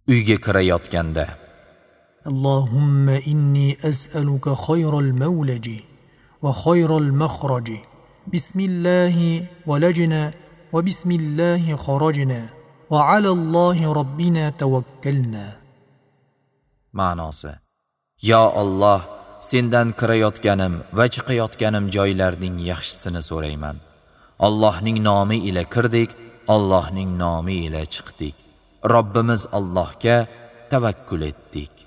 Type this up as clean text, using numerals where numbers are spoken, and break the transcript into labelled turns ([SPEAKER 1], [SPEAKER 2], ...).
[SPEAKER 1] Uyga kirayotganda:
[SPEAKER 2] اللهم إني أسألك خير المولج وخير المخرج، بسم الله ولجنا وبسم الله خرجنا وعلى الله ربنا توكلنا.
[SPEAKER 1] Ma'nosi: Yo Alloh, sendan kirayotganim va chiqayotganim joylarning yaxshisini so'rayman. Allohning nomi ila kirdik, Allohning nomi ila chiqdik. Robbimiz Allohga tavakkul etdik.